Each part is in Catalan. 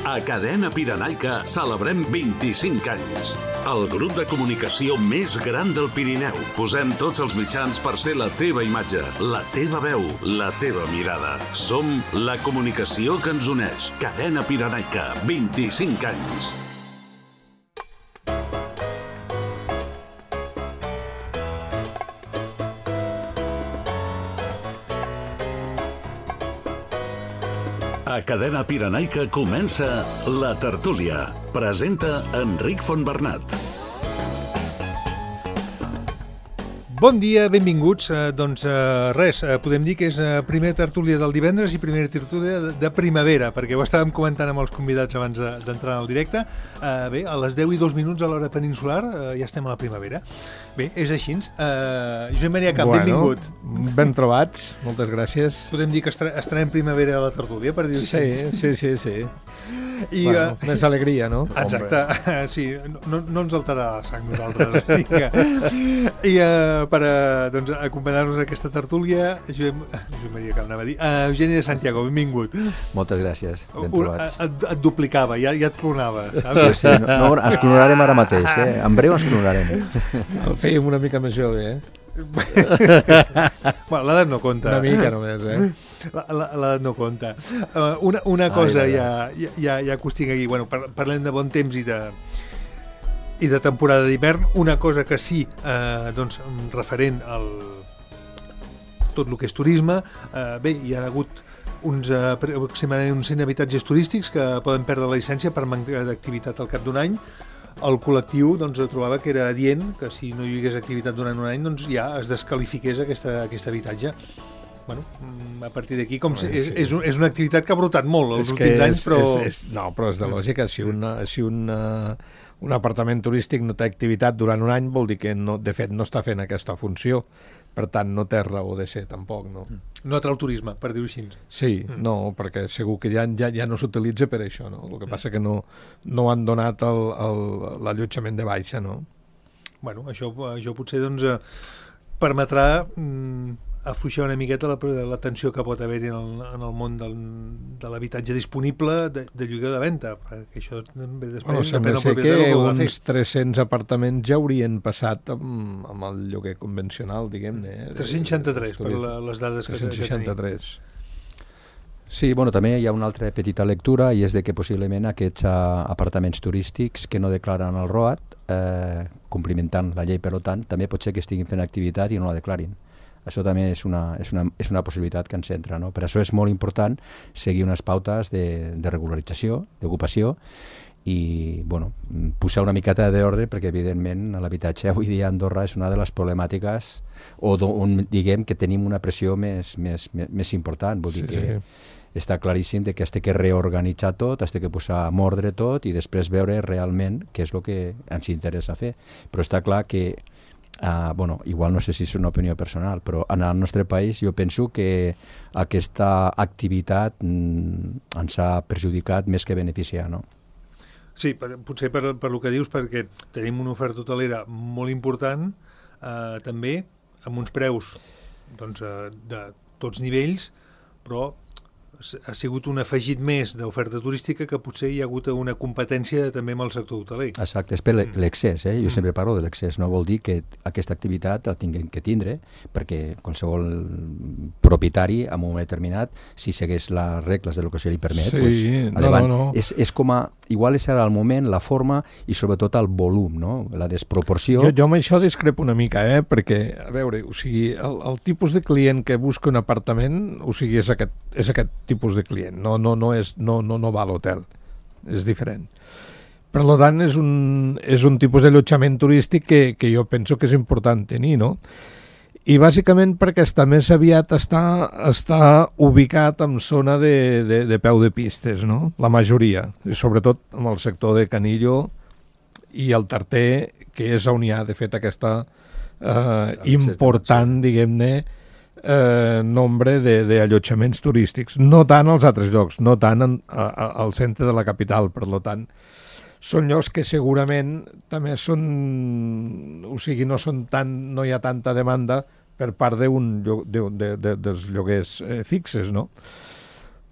A Cadena Pirenaica celebrem 25 anys. El grup de comunicació més gran del Pirineu. Posem tots els mitjans per ser la teva imatge, la teva veu, la teva mirada. Som la comunicació que ens uneix. Cadena Pirenaica, 25 anys. A Cadena Pirenaica comença La Tertúlia. Presenta Enric Fontbernat. Bon dia, benvinguts. Podem dir que és primera tertúlia del divendres i primera tertúlia de primavera, perquè ho estàvem comentant amb els convidats abans d'entrar al directe. Bé, a les 10 i 2 minuts a l'hora peninsular ja estem a la primavera. Bé, és així. Josep Maria Camp, benvingut. Ben trobats, moltes gràcies. Podem dir que estrenem primavera a la tertúlia, per dir-ho així. Sí. Més alegria, no? Exacte, sí, no ens alterarà la sang nosaltres. I per acompanyar-nos a aquesta tertúlia, Josep Maria Camp, anava a dir, Eugeni de Santiago, benvingut. Moltes gràcies, ben trobats. Et duplicava, ja et clonava. Sí, no, ens clonarem ara mateix, en breu ens clonarem. El fèiem una mica més jove, Bueno, l'edat no compta. Una mica només, L'edat no compta. Una cosa ja que us tinc aquí. Bueno, parlem de bon temps i de temporada d'hivern. Una cosa que sí, referent al tot el que és turisme, bé, hi ha hagut aproximadament uns 100 habitatges turístics que poden perdre la llicència per manca d'activitat al cap d'un any. El col·lectiu trobava que era adient que si no hi hagués activitat durant un any ja es descalifiqués aquest habitatge. Bueno, a partir d'aquí és una activitat que ha brotat molt els últims anys, però... Però és de lògica. Si un apartament turístic no té activitat durant un any vol dir que de fet no està fent aquesta funció. Per tant, no té raó de ser, tampoc, no? No atrau turisme, per dir-ho així. Sí, no, perquè segur que ja no s'utilitza per això, no? El que passa que no han donat l'allotjament de baixa, no? Bueno, això potser, permetrà afluixar una miqueta la tensió que pot haver-hi en el món de l'habitatge disponible de lloguer o de venda, perquè això també després depèn del propietari que uns 300 apartaments ja haurien passat amb el lloguer convencional, diguem-ne. 363, per les dades que tenim. Sí, també hi ha una altra petita lectura i és de que possiblement aquests apartaments turístics que no declaren el ROAT, complimentant la llei per tant, també pot ser que estiguin fent activitat i no la declarin. Això també és una possibilitat que ens entra, no? Per això és molt important seguir unes pautes de regularització, d'ocupació i posar una miqueta d'ordre perquè evidentment l'habitatge avui dia a Andorra és una de les problemàtiques on diguem que tenim una pressió més important. Vull dir que està claríssim que has de reorganitzar tot, has de posar en ordre tot i després veure realment què és el que ens interessa fer. Però està clar que igual no sé si és una opinió personal, però en el nostre país jo penso que aquesta activitat ens ha perjudicat més que beneficiar, no? Sí, potser per el que dius, perquè tenim una oferta hotelera molt important, també amb uns preus de tots nivells, però ha sigut un afegit més d'oferta turística que potser hi ha hagut una competència també amb el sector hoteler. Exacte, és per l'excés, jo sempre parlo de l'excés, no vol dir que aquesta activitat la tinguem que tindre, perquè qualsevol propietari en un moment determinat, si segueix les regles de lo que se li permet, és com igual és ara el moment, la forma i sobretot el volum, no? La desproporció. Jo amb això discrepo una mica, perquè, a veure, el tipus de client que busca un apartament, és aquest tipus de client, no va a l'hotel, és diferent. Per tant, és un tipus d'allotjament turístic que jo penso que és important tenir, no? I bàsicament perquè més aviat està ubicat en zona de peu de pistes, no? La majoria, i sobretot amb el sector de Canillo i el Tarter, que és on hi ha, de fet, aquesta important, diguem-ne, nombre d'allotjaments turístics, no tant als altres llocs, no tant al centre de la capital, per tant són llocs que segurament també són, no hi ha tanta demanda per part dels lloguers fixes, no?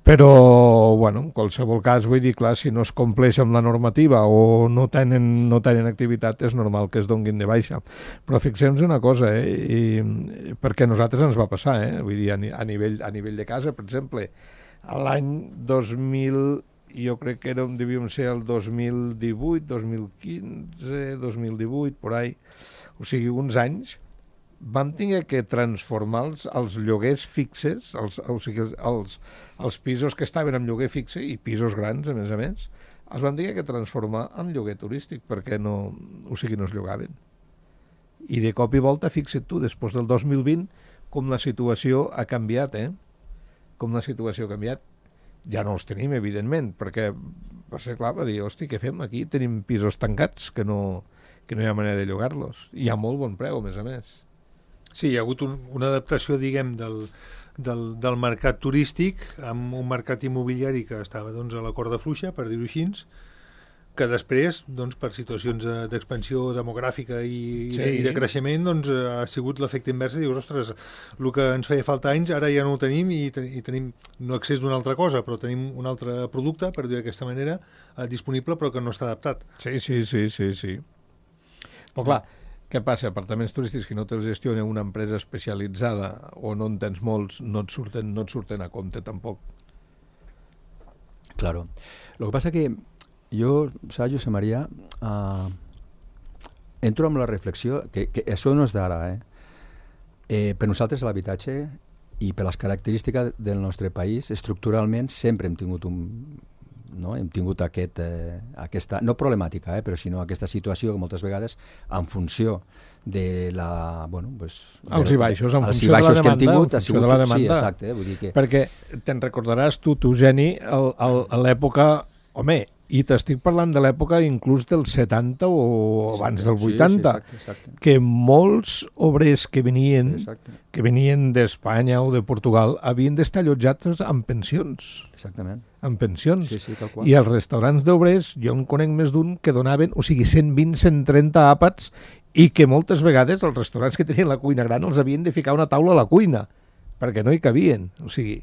Però, bueno, en qualsevol cas, vull dir, clar, si no es compleix amb la normativa o no tenen activitat, és normal que es donguin de baixa. Però fixem-nos una cosa, perquè a nosaltres ens va passar, vull dir, a nivell de casa, per exemple, l'any 2000, jo crec que devíem ser el 2018, 2015, 2018, por ahí, o sigui, uns anys, vam tenir que transformar els lloguers fixes, els pisos que estaven en lloguer fixe, i pisos grans, a més, els vam tenir que transformar en lloguer turístic, perquè no es llogaven. I de cop i volta, fixa't tu, després del 2020, com la situació ha canviat, Com la situació ha canviat. Ja no els tenim, evidentment, perquè va ser clar, va dir, hosti, què fem aquí? Tenim pisos tancats que no hi ha manera de llogar-los. I a molt bon preu, a més. Sí, hi ha hagut una adaptació, diguem, del mercat turístic amb un mercat immobiliari que estava a la corda fluixa, per dir-ho així, que després, per situacions d'expansió demogràfica i de creixement, ha sigut l'efecte invers i dius, ostres, el que ens feia falta anys, ara ja no ho tenim i tenim no accés d'una altra cosa, però tenim un altre producte, per dir d'aquesta manera, disponible, però que no està adaptat. Sí. Però clar, què passa? Apartaments turístics que no te'ls gestiona una empresa especialitzada o no en tens molts, no et surten a compte tampoc. Claro. Lo que passa que jo, saps, Josep Maria, entro amb la reflexió que això no és d'ara, per nosaltres l'habitatge i per les característiques del nostre país, estructuralment sempre hem tingut aquesta, no problemàtica, però sinó aquesta situació que moltes vegades en funció de la... Alts i baixos, en funció de la demanda. Que hem tingut, de la demanda. Sí, exacte. Vull dir que... Perquè te'n recordaràs tu, Geni, a l'època... Home, i t'estic parlant de l'època inclús dels 70 o abans del 80, exacte. Que molts obrers que venien d'Espanya o de Portugal havien d'estar allotjats amb pensions. Exactament. Amb pensions. Sí, tal qual. I els restaurants d'obrers, jo en conec més d'un que donaven, 120, 130 àpats, i que moltes vegades els restaurants que tenien la cuina gran els havien de ficar una taula a la cuina, perquè no hi cabien. O sigui,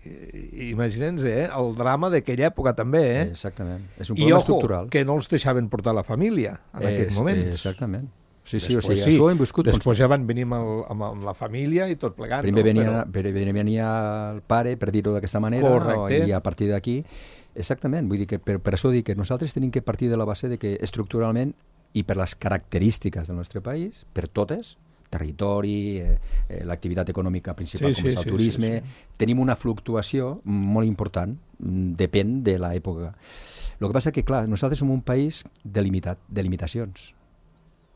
imaginem-nos, el drama d'aquella època també, Exactament. És un problema estructural. I que no els deixaven portar la família en aquests moments. Exactament. Sí, això ho hem viscut. Després ja van venir amb la família i tot plegant. Primer venia el pare, per dir-ho d'aquesta manera, i a partir d'aquí... Exactament. Vull dir que per això dic que nosaltres tenim que partir de la base de que estructuralment i per les característiques del nostre país, per totes, territori, l'activitat econòmica principal com és el turisme, tenim una fluctuació molt important, depèn de l'època. El que passa que, clar, nosaltres som un país de limitacions.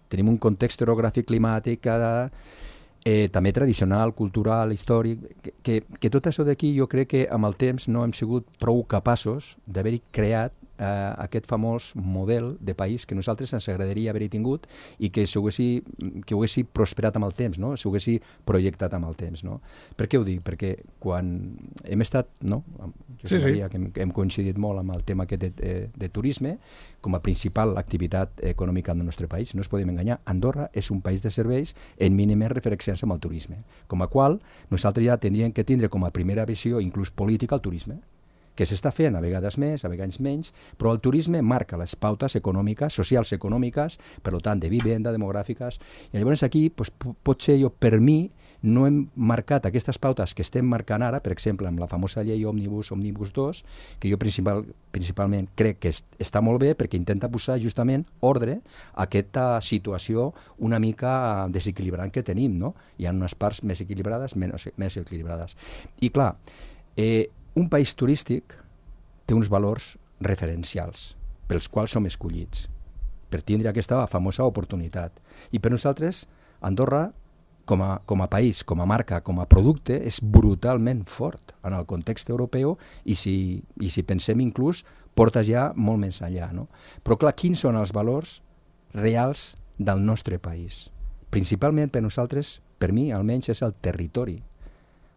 Tenim un context orogràfic, climàtic, també tradicional, cultural, històric, que tot això d'aquí jo crec que amb el temps no hem sigut prou capaços d'haver-hi creat aquest famós model de país que nosaltres ens agradaria haver-hi tingut i que ho haguessi prosperat amb el temps, no? S'ho haguessi projectat amb el temps. No? Per què ho dic? Perquè quan hem estat, no? Maria, que hem coincidit molt amb el tema aquest de turisme, com a principal activitat econòmica del nostre país, no es podem enganyar, Andorra és un país de serveis en mínimes referències amb el turisme, com a qual nosaltres ja tindríem que tindre com a primera visió, inclús política, el turisme, que s'està fent a vegades més, a vegades menys, però el turisme marca les pautes econòmiques, socials econòmiques, per tant, de vivenda, demogràfiques, i llavors aquí, potser jo, per mi, no hem marcat aquestes pautes que estem marcant ara, per exemple, amb la famosa llei Òmnibus 2, que jo principalment crec que està molt bé perquè intenta posar justament ordre a aquesta situació una mica desequilibrant que tenim, no? Hi ha unes parts més equilibrades, menys equilibrades. I clar, un país turístic té uns valors referencials pels quals som escollits per tindre aquesta famosa oportunitat. I per nosaltres, Andorra, com a país, com a marca, com a producte, és brutalment fort en el context europeu i si pensem inclús, porta ja molt més enllà. No? Però clar, quins són els valors reals del nostre país? Principalment per nosaltres, per mi almenys, és el territori.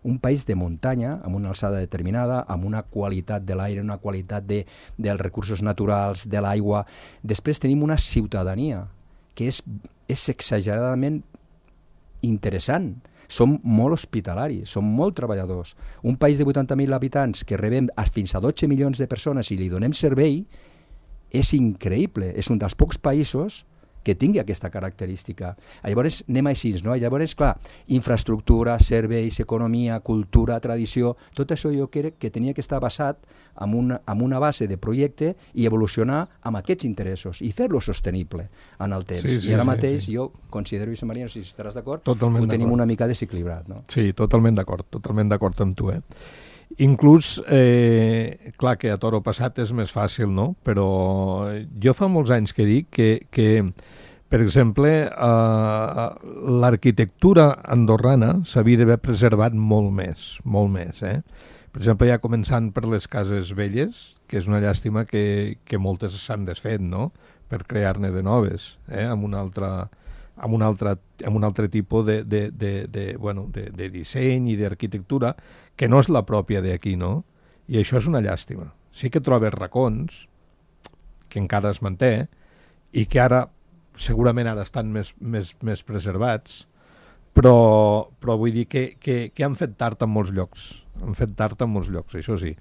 Un país de muntanya, amb una alçada determinada, amb una qualitat de l'aire, una qualitat dels recursos naturals, de l'aigua. Després tenim una ciutadania que és exageradament interessant. som molt hospitalaris, som molt treballadors. Un país de 80.000 habitants que rebem fins a 12 milions de persones i li donem servei és increïble. És un dels pocs països que tingui aquesta característica. Llavors anem així, no? Llavors, clar, infraestructura, serveis, economia, cultura, tradició, tot això jo crec que tenia que estar basat en una base de projecte i evolucionar amb aquests interessos i fer-lo sostenible en el temps. I ara mateix jo considero, Josep Maria, no sé si estaràs d'acord, ho tenim una mica desequilibrat, no? Sí, totalment d'acord amb tu, Inclús, clar que a toro passat és més fàcil, no? Però jo fa molts anys que dic que per exemple, l'arquitectura andorrana s'havia d'haver preservat molt més. Per exemple, ja començant per les cases velles, que és una llàstima que moltes s'han desfet, no?, per crear-ne de noves, amb un altre tipus de disseny i d'arquitectura que no és la pròpia d'aquí, no? I això és una llàstima. Sí que trobes racons que encara es manté i que ara, segurament ara estan més preservats, però vull dir que han fet tard en molts llocs. Això sí.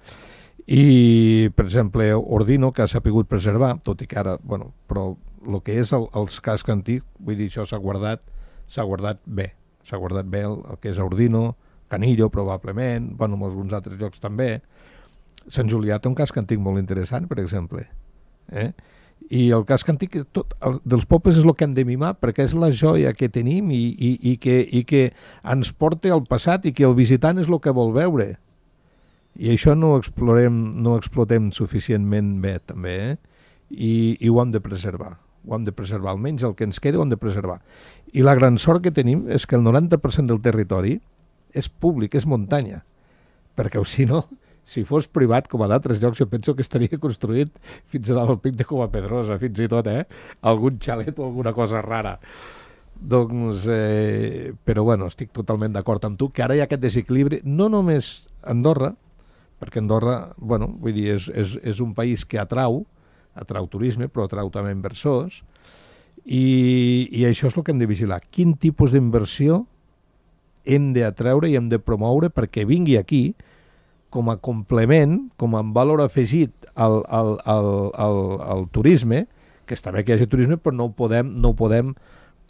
I, per exemple, Ordino, que ha sapigut preservar, tot i que ara, però el que és els cascs antics, vull dir, això s'ha guardat bé. S'ha guardat bé el que és Ordino, Canillo, probablement, en alguns altres llocs també. Sant Julià té un casc antic molt interessant, per exemple. I el casc antic dels pobles és el que hem de mimar, perquè és la joia que tenim i que ens porta al passat i que el visitant és el que vol veure. I això no ho explotem suficientment bé, també, i ho hem de preservar. Almenys el que ens queda ho hem de preservar. I la gran sort que tenim és que el 90% del territori és públic, és muntanya, perquè si no, si fos privat, com a d'altres llocs, jo penso que estaria construït fins a dalt al pic de Covapedrosa, fins i tot, algun xalet o alguna cosa rara. Doncs, però estic totalment d'acord amb tu, que ara hi ha aquest desequilibri, no només a Andorra, perquè Andorra, vull dir, és un país que atrau turisme, però atrau també inversors, i això és el que hem de vigilar. Quin tipus d'inversió hem d'atreure i hem de promoure perquè vingui aquí com a complement, com a valor afegit al turisme, que està bé que hi hagi turisme, però no ho podem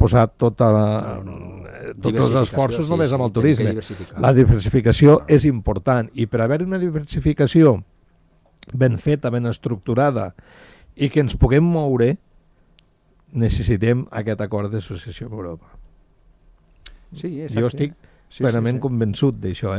posar tots els esforços només amb el turisme. La diversificació és important, i per haver una diversificació ben feta, ben estructurada, i que ens puguem moure, necessitem aquest acord d'associació amb Europa. Sí, jo estic plenament convençut d'això,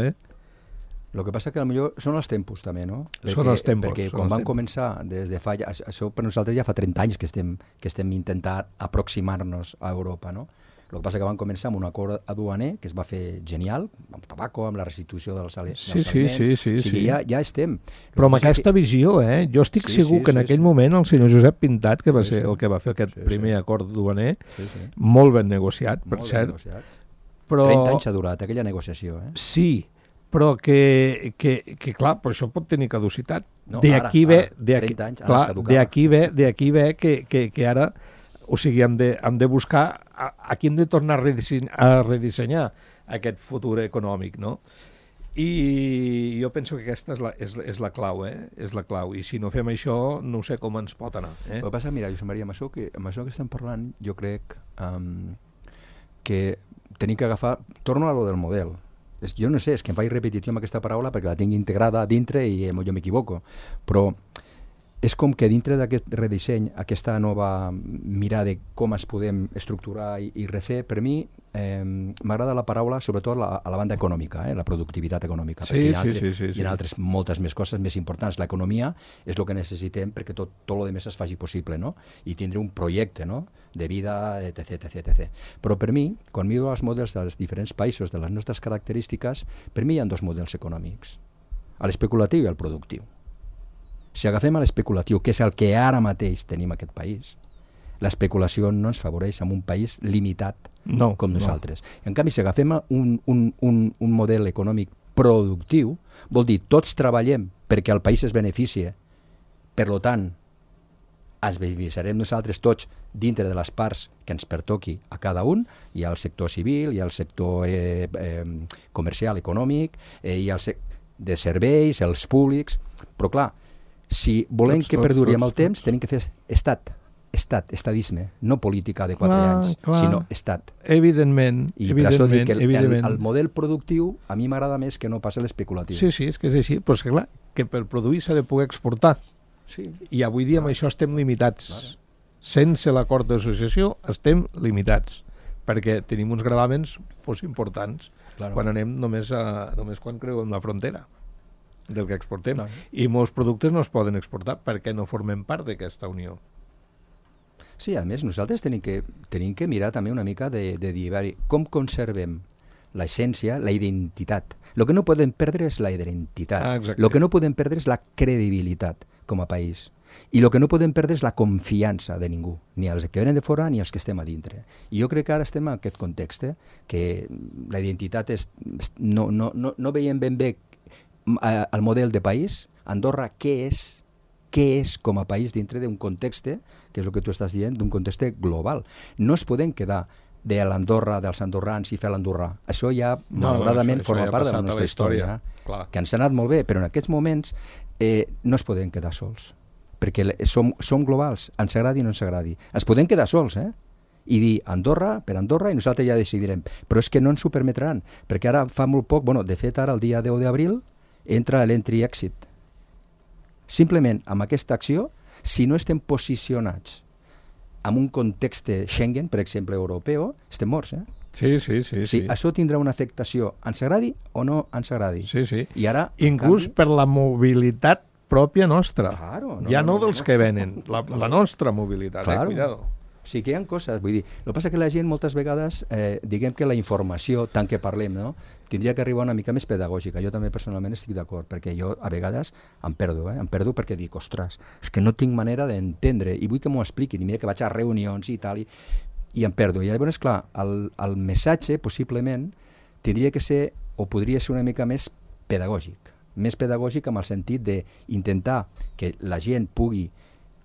El que passa que potser són els tempos també, no? Són els tempos. Perquè quan van començar des de fa... Això per nosaltres ja fa 30 anys que estem intentant aproximar-nos a Europa, no? El que passa que van començar amb un acord aduaner que es va fer genial, amb tabaco, amb la restitució dels aliments. Sí. Ja estem. Però amb aquesta visió, jo estic segur que en aquell moment el senyor Josep Pintat, que va ser el que va fer aquest primer acord aduaner, molt ben negociat, per cert. 30 anys ha durat aquella negociació, Sí, però que clar, però això pot tenir caducitat. D'aquí ve que ara, o sigui, hem de buscar aquí hem de tornar a redissenyar aquest futur econòmic, no? I jo penso que aquesta és la clau, és la clau, i si no fem això no sé com ens pot anar. El que passa, mira, Josep Maria, amb això que estem parlant, jo crec que tenim que agafar, torno a lo del model. Jo no sé, és que em faig repetició amb aquesta paraula perquè la tinc integrada a dintre i jo m'equivoco, però és com que dintre d'aquest redisseny, aquesta nova mirada de com es podem estructurar i refer, per mi m'agrada la paraula sobretot a la banda econòmica, la productivitat econòmica, perquè hi ha altres moltes més coses més importants. L'economia és el que necessitem perquè tot el que més es faci possible, no? I tindre un projecte, no?, de vida, etc. Però per mi, quan miro els models dels diferents països, de les nostres característiques, per mi hi ha dos models econòmics, l'especulatiu i el productiu. Si agafem l'especulatiu, que és el que ara mateix tenim a aquest país, l'especulació no ens favoreix en un país limitat com nosaltres. En canvi, si agafem un model econòmic productiu, vol dir tots treballem perquè el país es beneficia, per tant, ens beneficiarem nosaltres tots dintre de les parts que ens pertoqui a cada un. Hi ha el sector civil, hi ha el sector comercial, econòmic, hi ha el de serveis, els públics, però clar, si volem que perduri amb el temps, tenim que fer estadisme, no política de 4 anys, sinó estat. Evidentment. I per això dic que el model productiu a mi m'agrada més que no pas l'especulatiu. Sí, és que és així, però és que clar, que per produir s'ha de poder exportar. Sí. I avui dia amb això estem limitats. Clar. Sense l'acord d'associació estem limitats, perquè tenim uns gravàmens importants quan anem només quan creuem la frontera del que exportem. I molts productes no es poden exportar perquè no formem part d'aquesta unió. Sí, a més, nosaltres tenim que mirar també una mica de dir com conservem l'essència, la identitat. El que no podem perdre és la identitat. El que no podem perdre és la credibilitat com a país. I el que no podem perdre és la confiança de ningú, ni els que venen de fora ni els que estem a dintre. I jo crec que ara estem en aquest context, que la identitat no veiem ben bé el model de país. Andorra, què és com a país dintre d'un context, que és el que tu estàs dient, d'un context global. No es podem quedar de l'Andorra, dels andorrans i fer l'andorrà. Això ja, malauradament, forma part de la nostra història, que ens ha anat molt bé, però en aquests moments no es podem quedar sols, perquè som globals, ens agradi o no ens agradi. Ens podem quedar sols, i dir Andorra per Andorra i nosaltres ja decidirem, però és que no ens ho permetran, perquè ara fa molt poc, de fet ara el dia 10 d'abril entra l'entry-exit. Simplement, amb aquesta acció, si no estem posicionats en un context Schengen, per exemple, europeu, estem morts, Sí. Això tindrà una afectació, ens agradi o no ens agradi. Sí. I ara, inclús per la mobilitat pròpia nostra. No dels que venen, la nostra mobilitat, cuidado. O sigui que hi ha coses, vull dir, el que passa que la gent moltes vegades, diguem que la informació, tant que parlem, tindria que arribar una mica més pedagògica. Jo també personalment estic d'acord, perquè jo a vegades em perdo perquè dic, ostres, és que no tinc manera d'entendre i vull que m'ho expliquin, i mira que vaig a reunions i tal, i em perdo. I llavors, clar, el missatge possiblement tindria que ser, o podria ser una mica més pedagògic amb el sentit d'intentar que la gent pugui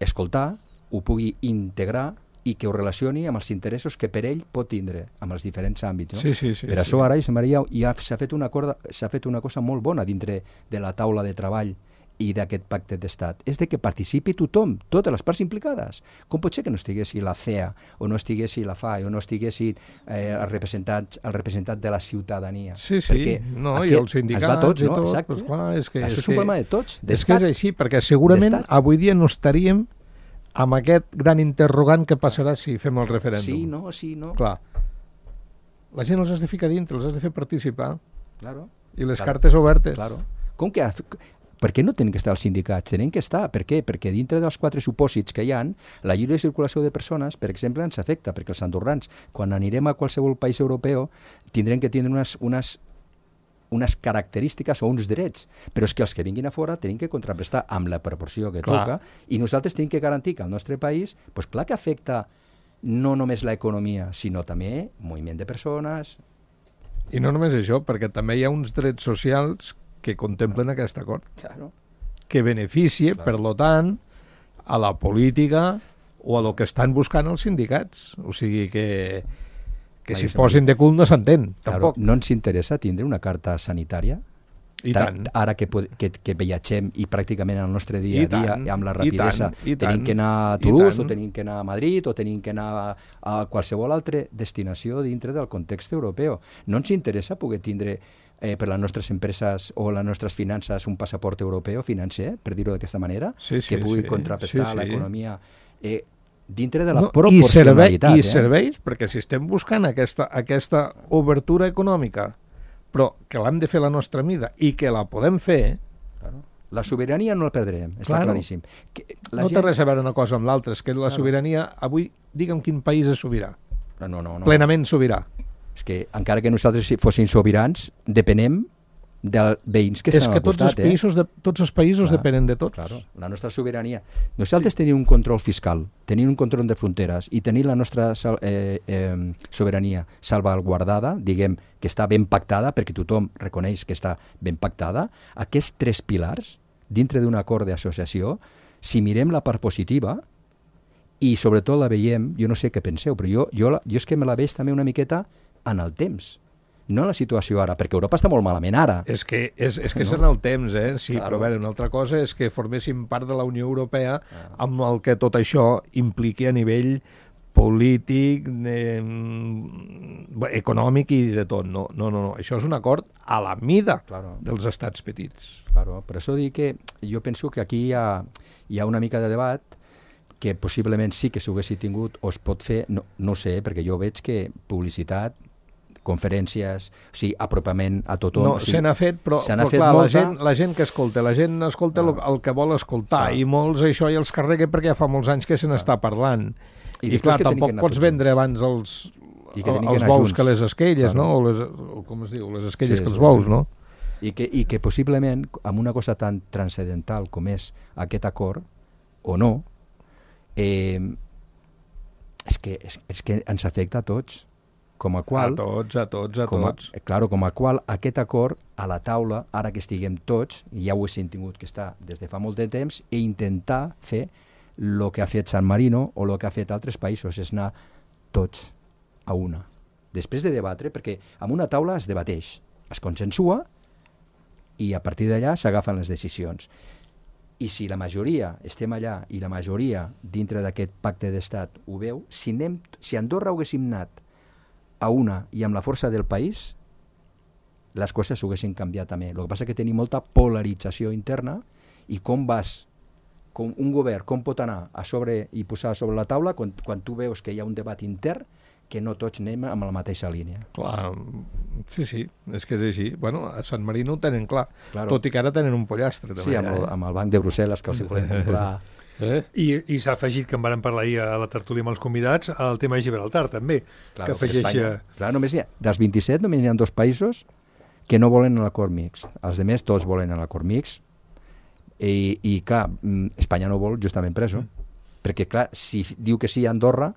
escoltar, ho pugui integrar i que ho relacioni amb els interessos que per ell pot tindre amb els diferents àmbits. Per això ara, Josep Maria, ja s'ha fet una cosa molt bona dintre de la taula de treball i d'aquest pacte d'estat. És de que participi tothom, totes les parts implicades. Com pot ser que no estiguessi la CEA, o no estiguessi la FAI, o no estiguessi el representant de la ciutadania? Sí, i els sindicats i tot. Exacte. Això és un problema de tots. És que és així, perquè segurament avui dia no estaríem amb aquest gran interrogant que passarà si fem el referèndum. Sí, no. Clar. La gent els has de ficar dintre, els has de fer participar. Claro. I les cartes obertes. Claro. Per què no tenen que estar els sindicats? Tenen que estar. Per què? Perquè dintre dels 4 supòsits que hi ha, la lliure circulació de persones, per exemple, ens afecta, perquè els andorrans, quan anirem a qualsevol país europeu, tindrem que tindre unes característiques o uns drets, però és que els que vinguin a fora tenen que contraprestar amb la proporció que toca, i nosaltres tenim que garantir que el nostre país, doncs clar que afecta no només l'economia, sinó també moviment de persones. I no només això, perquè també hi ha uns drets socials que contemplen aquest acord, que beneficia, per tant, a la política o a lo que estan buscant els sindicats. O sigui que si posin de cul no s'entén, tampoc. No ens interessa tindre una carta sanitària? I tant. Ara que viatgem i pràcticament el nostre dia a dia, amb la rapidesa, tenim que anar a Toulouse, o tenim que anar a Madrid, o tenim que anar a qualsevol altra destinació dintre del context europeu. No ens interessa poder tindre per les nostres empreses o les nostres finances un passaport europeu financer, per dir-ho d'aquesta manera, que pugui contraprestar l'economia dintre de la proporcionalitat. I serveis, perquè si estem buscant aquesta obertura econòmica, però que l'hem de fer la nostra mida i que la podem fer... La sobirania no la perdrem, està claríssim. No té res a veure una cosa amb l'altra, és que la sobirania, avui, digue'm quin país és sobirà. No. Plenament sobirà. És que encara que nosaltres fóssim sobirans, depenem dels veïns que estan al costat. És que tots els països depenen de tots. Claro, la nostra sobirania. Nosaltres tenim un control fiscal, tenim un control de fronteres i tenim la nostra sobirania salvaguardada, diguem que està ben pactada, perquè tothom reconeix que està ben pactada. Aquests 3 pilars, dintre d'un acord d'associació, si mirem la part positiva, i sobretot la veiem, jo no sé què penseu, però jo és que me la veig també una miqueta en el temps, no en la situació ara, perquè Europa està molt malament ara. És que és en el temps, sí, claro. Però a veure, una altra cosa és que forméssim part de la Unió Europea amb el que tot això impliqui a nivell polític, econòmic i de tot. No. Això és un acord a la mida dels estats petits. Claro, per això dic que jo penso que aquí hi ha una mica de debat que possiblement sí que s'ho haguessi tingut o es pot fer, no sé, perquè jo veig que publicitat, conferències, o sigui, apropament a tothom. No, se n'ha fet, però clar, la gent que escolta, el que vol escoltar, i molts això ja els carrega perquè ja fa molts anys que se n'està parlant. I clar, tampoc pots vendre abans els bous que les esquelles, no? O com es diu, les esquelles que els bous, no? I que possiblement, amb una cosa tan transcendental com és aquest acord, o no, és que ens afecta a tots. Com a qual, a tots. Claro, com a qual aquest acord a la taula, ara que estiguem tots, i ja ho hem tingut que estar des de fa molt de temps, i intentar fer el que ha fet San Marino o el que ha fet altres països, és anar tots a una. Després de debatre, perquè amb una taula es debateix, es consensua i a partir d'allà s'agafen les decisions. I si la majoria estem allà i la majoria dintre d'aquest pacte d'estat ho veu, si Andorra haguéssim anat a una i amb la força del país, les coses s'haguessin canviat també. El que passa és que tenim molta polarització interna i com un govern, com pot anar a sobre i posar sobre la taula quan tu veus que hi ha un debat intern que no tots anem amb la mateixa línia. Clar, sí, és que és així. Bueno, a San Marino ho tenen clar, tot i que ara tenen un pollastre. També, sí, amb el Banc de Brussel·les que els volem comprar. I s'ha afegit, que en vàrem parlar ahir a la tertúlia amb els convidats, el tema de Gibraltar també, que afegeix... Clar, dels 27 només hi ha 2 països que no volen l'acord mixt. Els altres tots volen l'acord mixt i clar, Espanya no vol justament per això, perquè clar, si diu que sí a Andorra,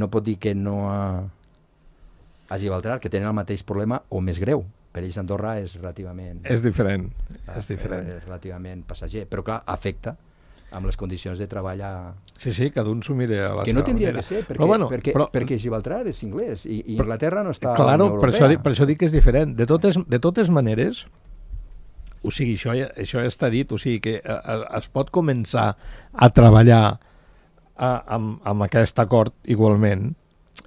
no pot dir que no a Gibraltar, que tenen el mateix problema o més greu. Per ells Andorra és relativament... És diferent. És relativament passager, però clar, afecta amb les condicions de treball Sí, cada un s'ho mira a la seva manera. Que no tindria que ser, perquè Gibraltar és anglès i Inglaterra no està... Claro, per això dic que és diferent. De totes maneres, o sigui, això ja està dit, o sigui que es pot començar a treballar amb aquest acord igualment,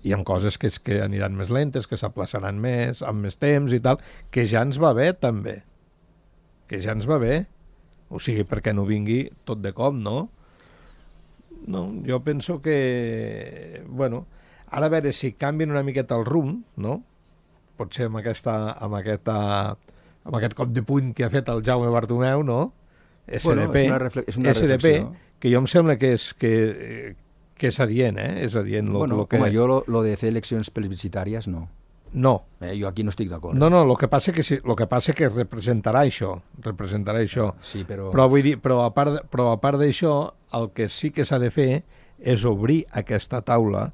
i amb coses que aniran més lentes, que s'aplaçaran més, amb més temps i tal, que ja ens va bé també. Que ja ens va bé. O sigui, perquè no vingui tot de cop, no? No, jo penso que... Bueno, ara a veure si canvien una miqueta el rumb, no? Potser amb aquest cop de puny que ha fet el Jaume Bartomeu, no? SDP, és una reflexió. Que jo em sembla que és adient, És adient. Bueno, com a jo, lo de fer eleccions plebiscitàries, no. No. Jo aquí no estic d'acord. No, el que passa que representarà això. Sí, però vull dir, però a part d'això, el que sí que s'ha de fer és obrir aquesta taula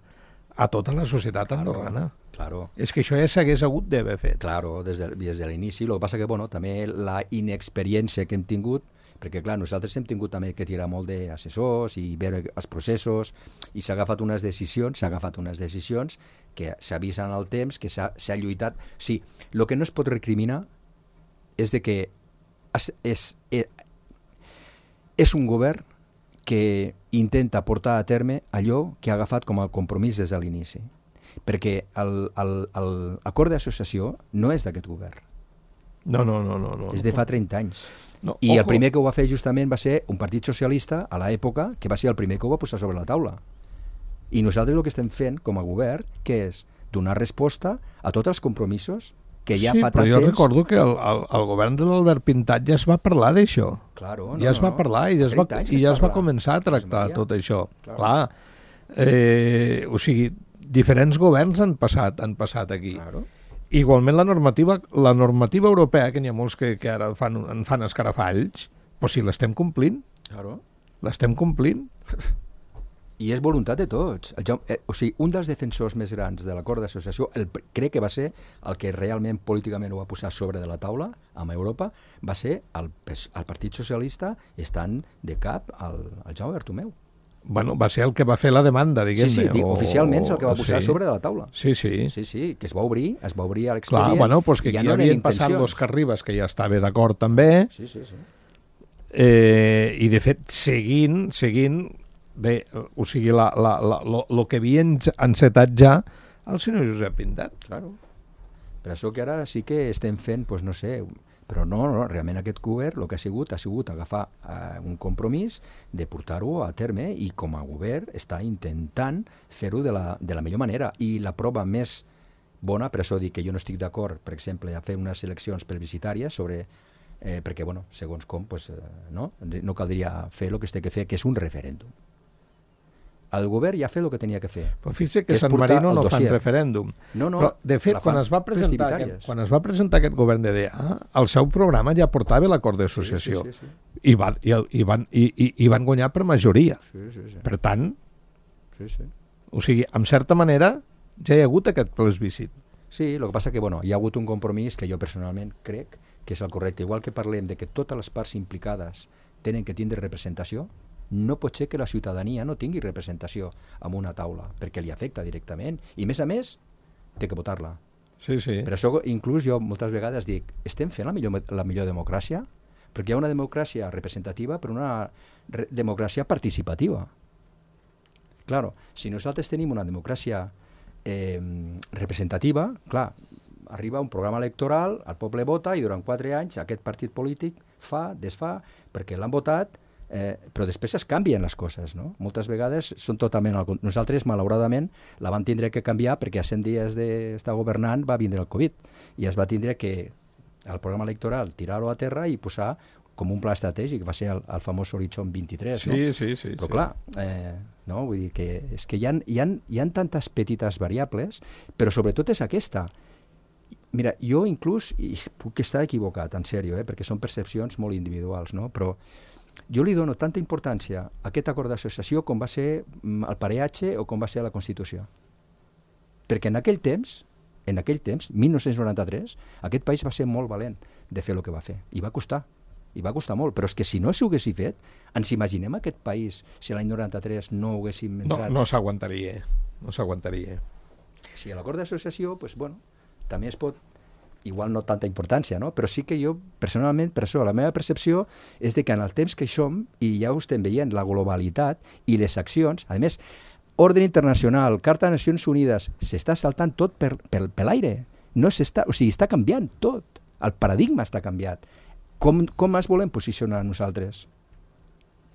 a tota la societat andorrana. Claro. És que això ja s'hagués hagut d'haver fet. Claro, des de l'inici. El que passa que, també la inexperiència que hem tingut, perquè clar, nosaltres hem tingut també que tirar molt d'assessors i veure els processos, i s'ha agafat unes decisions que s'avisen al temps, que s'ha lluitat. Sí, el que no es pot recriminar és de que és un govern que intenta portar a terme allò que ha agafat com a compromís des de l'inici, perquè l'acord d'associació no és d'aquest govern. No. És de fa 30 anys. No, I el primer que ho va fer justament va ser un partit socialista a l'època, que va ser el primer que ho va posar sobre la taula. I nosaltres el que estem fent com a govern, que és donar resposta a tots els compromisos que ja fa tant temps... Sí, però jo recordo que el govern de l'Albert Pintat ja es va parlar d'això. Claro, ja es va parlar i ja es va començar a tractar tot això. Clar. O sigui, diferents governs han passat aquí. Claro. Igualment la normativa europea, que n'hi ha molts que ara en fan escarafalls, però si l'estem complint. Claro. L'estem complint. I és voluntat de tots. O sigui, un dels defensors més grans de l'acord d'associació, crec que va ser el que realment políticament ho va posar sobre de la taula amb Europa, va ser el Partit Socialista estant de cap al Jaume Bartomeu. Bueno, va ser el que va fer la demanda, diguem-ne. Sí, oficialment és el que va posar sobre de la taula. Sí. Sí, que es va obrir a l'expedient. Clar, bueno, pues que aquí havien passat l'Òscar Ribas, que ja estava d'acord també. Sí. I, de fet, seguint bé, o sigui, el que havia encetat ja el senyor Josep Pintat. Claro. Per això que ara sí que estem fent, doncs no sé, però no, realment aquest govern el que ha sigut agafar un compromís de portar-ho a terme i com a govern està intentant fer-ho de la millor manera. I la prova més bona, per això dic que jo no estic d'acord, per exemple, a fer unes eleccions plebiscitàries sobre... perquè, bueno, segons com, pues, no caldria fer el que es té que fer, que és un referèndum. El govern ja ha fet el que tenia que fer. Però fixa que San Marino no fan referèndum. No, però, de fet, quan es va presentar aquest govern d'EDA, el seu programa ja portava l'acord d'associació. Sí. I van guanyar per majoria. Sí. Per tant, sí. O sigui, en certa manera, ja hi ha hagut aquest plebiscit. Sí, el que passa que, bueno, hi ha hagut un compromís que jo personalment crec que és el correcte. Igual que parlem de que totes les parts implicades tenen que tindre representació, no pot ser que la ciutadania no tingui representació en una taula, perquè li afecta directament, i a més, té que votar-la. Sí. Per això, inclús, jo moltes vegades dic, estem fent la millor democràcia? Perquè hi ha una democràcia representativa, però una democràcia participativa. Claro, si nosaltres tenim una democràcia representativa, clar, arriba un programa electoral, el poble vota i durant 4 anys aquest partit polític fa, desfà, perquè l'han votat, però després es canvien les coses, no? Moltes vegades són totalment... Nosaltres, malauradament, la vam tindre que canviar perquè a 100 dies d'estar governant va vindre el Covid i es va tindre que el programa electoral tirar-ho a terra i posar com un pla estratègic, va ser el famós Horitzó 23, no? Sí. Però clar, no? Vull dir que és que hi ha tantes petites variables, però sobretot és aquesta. Mira, jo inclús, i puc estar equivocat, en sèrio, perquè són percepcions molt individuals, no? Però jo li dono tanta importància a aquest acord d'associació com va ser el pareatge o com va ser la Constitució. Perquè en aquell temps, 1993, aquest país va ser molt valent de fer el que va fer. I va costar molt. Però és que si no s'ho haguessin fet, ens imaginem aquest país si l'any 93 no ho haguéssim entrat. No s'aguantaria. Si a l'acord d'associació, doncs, bueno, també es pot... igual no tanta importància, no? Però sí que jo, personalment, per això, la meva percepció és de que en el temps que som, i ja ho estem veient, la globalitat i les accions, a més, ordre internacional, Carta de Nacions Unides, s'està saltant tot per l'aire. O sigui, està canviant tot. El paradigma està canviat. Com es volem posicionar nosaltres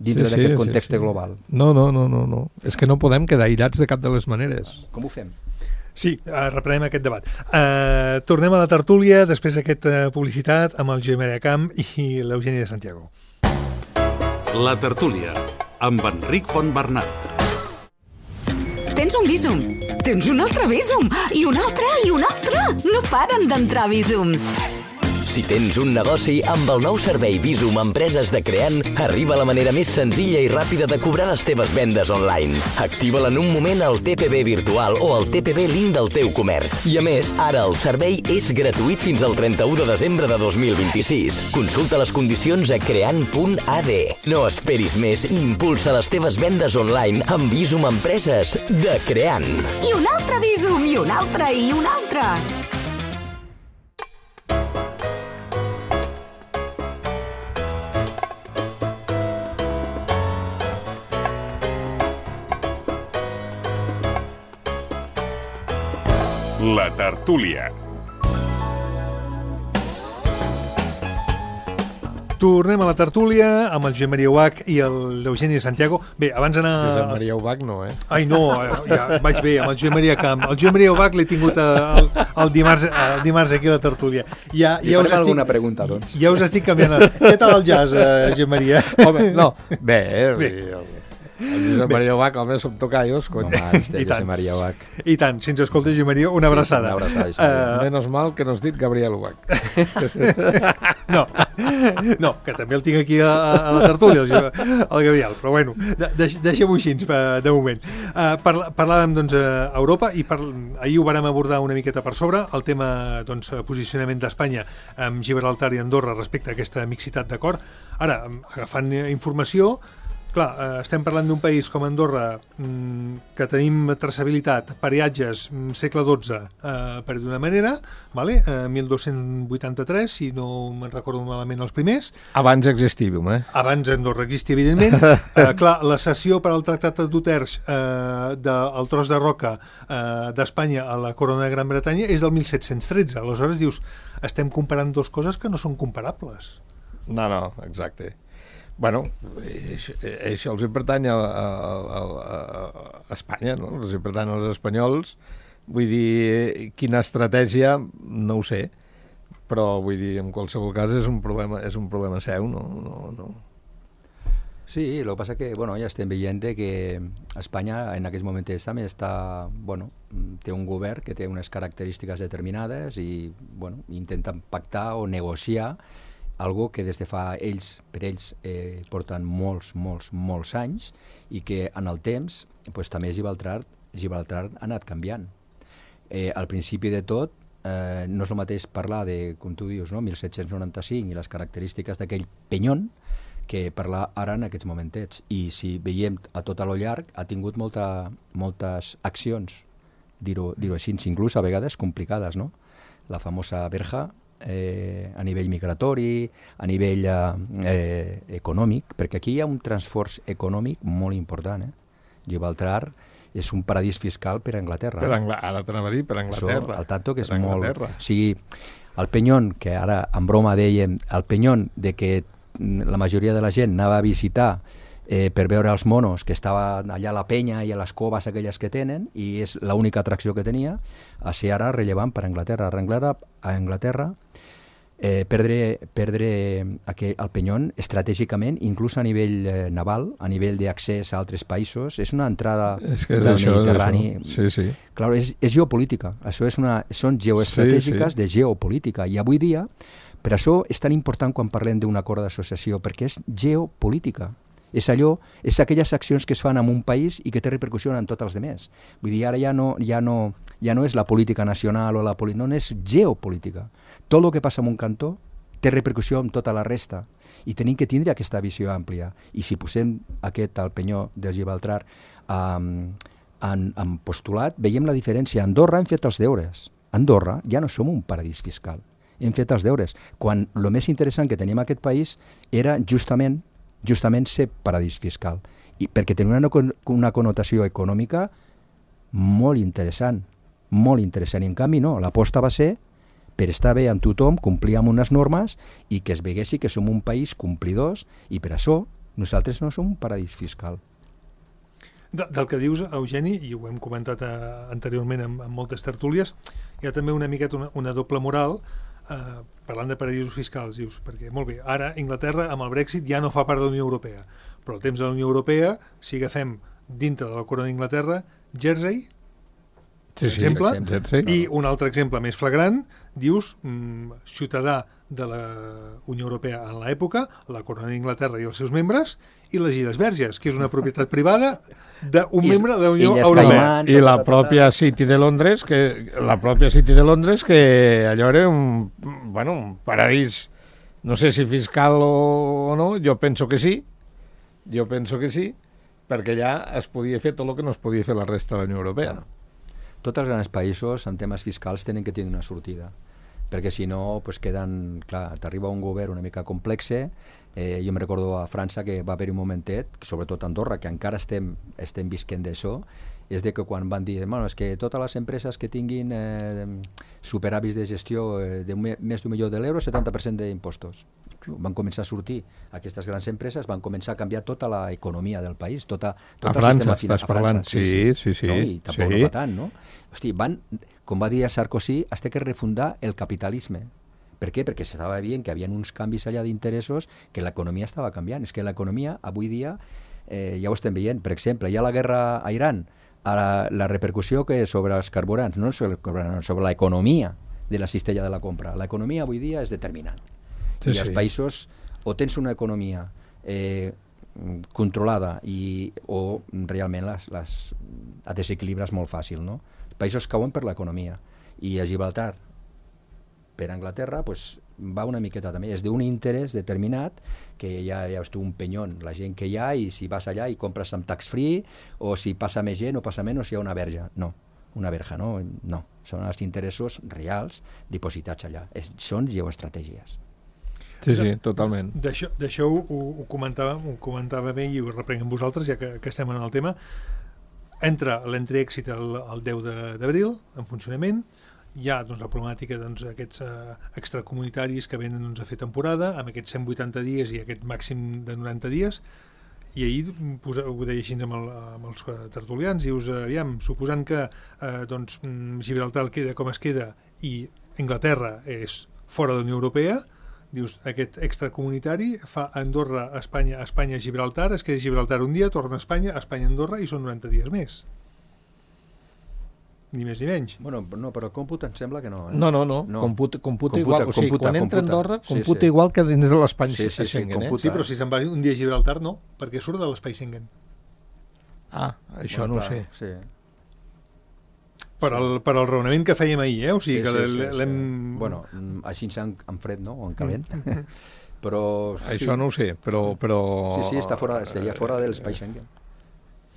dintre d'aquest context global? No. És que no podem quedar aïllats de cap de les maneres. Com ho fem? Sí, reprenem aquest debat. Tornem a la tertúlia després d'aquesta publicitat amb el Josep Maria Camp i l'Eugeni de Santiago. La tertúlia amb Enric Fontbernat. Tens un Bizum, tens un altre Bizum i un altre i un altre. No paren d'entrar Bizums. Si tens un negoci, amb el nou servei Bizum Empreses de Creant arriba la manera més senzilla i ràpida de cobrar les teves vendes online. Activa-la en un moment al TPB virtual o al TPB link del teu comerç. I a més, ara el servei és gratuït fins al 31 de desembre de 2026. Consulta les condicions a creant.ad. No esperis més i impulsa les teves vendes online amb Bizum Empreses de Creant. I un altre Bizum, i un altre, i un altre. La tertúlia. Tornem a la tertúlia amb el Josep Maria Ubach i l'Eugeni de Santiago. Bé, abans d'anar... Josep Maria Ubach no, Ai, no, ja vaig bé, amb el Josep Maria Camp. El Josep Maria Ubach l'he tingut el dimarts aquí a la tertúlia. Ja farem alguna pregunta, doncs. Ja us estic canviant. Què tal el jazz, Josep Maria? Home, no, bé. El Josep Maria Ubach, home, som tocallos, cony. Home, Josep Maria Ubach. I tant, si ens escolta Josep Maria, una abraçada. Una abraçada. Menos mal que no has dit Gabriel Ubach. No, que també el tinc aquí a la tertúlia, el Gabriel, però bueno, deixem-ho així de moment. Parlàvem, doncs, a Europa i ahir ho vàrem abordar una miqueta per sobre, el tema, doncs, posicionament d'Espanya amb Gibraltar i Andorra respecte a aquesta mixitat d'acord. Ara, agafant informació, Clar, estem parlant d'un país com Andorra, que tenim traçabilitat, peatges, segle XII, per d'una manera, vale? 1283, si no me'n recordo malament els primers. Abans existíem, Abans Andorra existia, evidentment. Clar, la cessió per al Tractat d'Utrecht del tros de roca d'Espanya a la corona de Gran Bretanya és del 1713. Aleshores dius, estem comparant dues coses que no són comparables. No, exacte. Bueno, això els pertany a Espanya, no? Els pertany als espanyols. Vull dir, quina estratègia, no ho sé, però vull dir, en qualsevol cas és un problema seu, no. Sí, el que passa que ja estem veient que Espanya en aquests moments també té un govern que té unes característiques determinades i intenten pactar o negociar algo que des de fa per ells porten molts anys i que en el temps també Gibraltar ha anat canviant. Al principi de tot no és el mateix parlar de, com tu dius, 1795 i les característiques d'aquell penyon que parlar ara en aquests momentets. I si veiem a tot a lo llarg ha tingut moltes accions, dir-ho així, inclús a vegades complicades, no? La famosa verja, a nivell migratori, a nivell econòmic, perquè aquí hi ha un transfors econòmic molt important. Gibraltar és un paradís fiscal per a Anglaterra. Ara t'anava a dir, per a Anglaterra. Això, al tanto que és molt... O sigui, el penyon, que ara en broma dèiem, el penyon de que la majoria de la gent anava a visitar per veure els monos, que estava allà a la penya i a les coves aquelles que tenen, i és l'única atracció que tenia, a ser ara rellevant per a Anglaterra. A Anglaterra perdre el penyon estratègicament, inclús a nivell naval, a nivell d'accés a altres països, és una entrada del Mediterrani. Sí. Clar, és geopolítica. Això són geoestratègiques de geopolítica. I avui dia, per això és tan important quan parlem d'un acord d'associació, perquè és geopolítica. És aquelles accions que es fan en un país i que té repercussió en tots els altres. Vull dir, ara ja no és la política nacional o la política, no, és geopolítica. Tot el que passa en un cantó té repercussió en tota la resta i tenim que tindre aquesta visió àmplia. I si posem al penyó de Gibraltar en postulat, veiem la diferència. A Andorra hem fet els deures. A Andorra ja no som un paradís fiscal. Hem fet els deures. Quan el més interessant que tenim en aquest país era justament ser paradís fiscal, perquè tenia una connotació econòmica molt interessant, i en canvi no, l'aposta va ser per estar bé amb tothom, complir amb unes normes i que es veguessi que som un país complidors i per això nosaltres no som un paradís fiscal. Del que dius, Eugeni, i ho hem comentat anteriorment en moltes tertúlies, hi ha també una miqueta una doble moral parlant de paradisos fiscals, dius, perquè molt bé, ara Anglaterra amb el Brexit ja no fa part de la Unió Europea, però al temps de la Unió Europea, si agafem dintre de la corona d'Anglaterra, Jersey, per exemple, i un altre exemple més flagrant, dius, ciutadà de la Unió Europea en l'època, la corona d'Anglaterra i els seus membres, i les Illes Verges, que és una propietat privada d'un membre de la Unió Europea. I la pròpia City de Londres, que allò era un paradís, no sé si fiscal o no, jo penso que sí, perquè allà es podia fer tot el que no es podia fer la resta de la Unió Europea. Tots els grans països amb temes fiscals tenen que tenir una sortida, perquè si no queden, clar, t'arriba un govern una mica complexe. Jo em recordo a França que va haver-hi un momentet, sobretot a Andorra, que encara estem visquent d'això, és de que quan van dir, és que totes les empreses que tinguin superàvits de gestió de més d'1 milió d'euros, 70% d'impostos. Van començar a sortir aquestes grans empreses, van començar a canviar tota l'economia del país, tot el sistema financer. A França, sí. No? I tampoc no va tant, no? Hosti, com va dir Sarkozy, has de refundar el capitalisme. Per què? Perquè s'estava veient que hi havia uns canvis allà d'interessos, que l'economia estava canviant. És que l'economia, avui dia, ja ho estem veient. Per exemple, hi ha la guerra a Iran, la repercussió que és sobre els carburants, no sobre l'economia de la cistella de la compra. L'economia avui dia és determinant. I els països o tens una economia controlada o realment les desequilibres molt fàcil, no? Els països cauen per l'economia i a Gibraltar, per Anglaterra, va una miqueta també, és d'un interès determinat que ja és tu un penyon, la gent que hi ha, i si vas allà i compres amb tax free, o si passa més gent o passa menys, si hi ha una verge. No, una verja, no, són els interessos reals dipositats allà, són geoestratègies. Sí, totalment. D'això ho comentava bé i ho reprenc amb vosaltres, ja que estem en el tema. Entra l'Entrèxit el 10 d'abril, en funcionament. Hi ha la problemàtica d'aquests extracomunitaris que venen a fer temporada, amb aquests 180 dies i aquest màxim de 90 dies, i ahir ho deia així amb els tertulians, dius, aviam, suposant que Gibraltar queda com es queda i Anglaterra és fora de la Unió Europea, dius, aquest extracomunitari fa Andorra, Espanya, Gibraltar, es queda Gibraltar un dia, torna a Espanya, Andorra, i són 90 dies més. Ni més ni menys. Bueno, no, però el còmput em sembla que no. No. Computa igual. O sigui, quan entra a Andorra, computa igual que dins de l'espai Schengen. Sí, però si se'n va un dia a Gibraltar, no, perquè surt de l'espai Schengen. Això no ho sé. Sí. Per al raonament que fèiem ahir, o sigui que l'hem... Bueno, així en fred, no? O en calent. Però... Això no ho sé, però... Sí, seria fora de l'espai Schengen.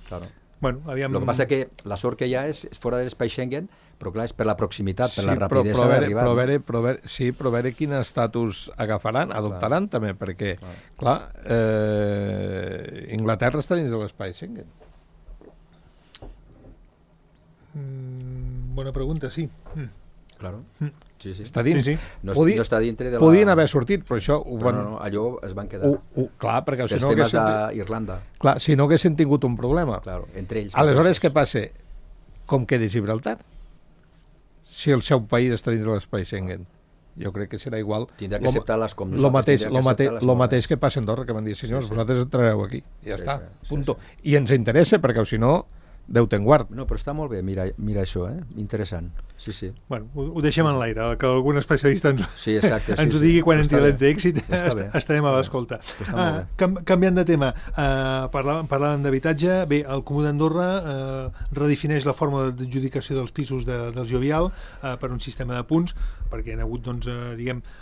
Claro. Bueno, aviam... El que passa que la sort que hi ha és fora de l'espai Schengen, però clar, és per la proximitat, per la rapidesa d'arribar. Però veure quin estatus agafaran, adoptaran també, perquè, clar, Inglaterra està dins de l'espai Schengen. Bona pregunta, sí. Claro. Sí. Està dins. Sí. No està dintre de la... Podien haver sortit, però això... No, allò es van quedar. Clar, perquè si els no temes d'Irlanda. Clar, si no haguessin tingut un problema. Claro, entre ells. Aleshores, què passa? Com queda Gibraltar? Si el seu país està dins de l'espai Schengen. Jo crec que serà igual. Tindrà que acceptar-les com nosaltres. El mateix que passa a Andorra, que van dir, senyors, vosaltres entrareu aquí. Ja està, punto. I ens interessa, perquè si no... Déu te'n guard. No, però està molt bé, mira això, interessant. Sí. Bueno, ho deixem en l'aire, que algun especialista ens ho digui quan entri l'Entrèxit, estarem a l'escolta. Canviant de tema, parlàvem d'habitatge. Bé, el Comú d'Andorra redefineix la forma d'adjudicació dels pisos del Jovial per un sistema de punts, perquè hi ha hagut,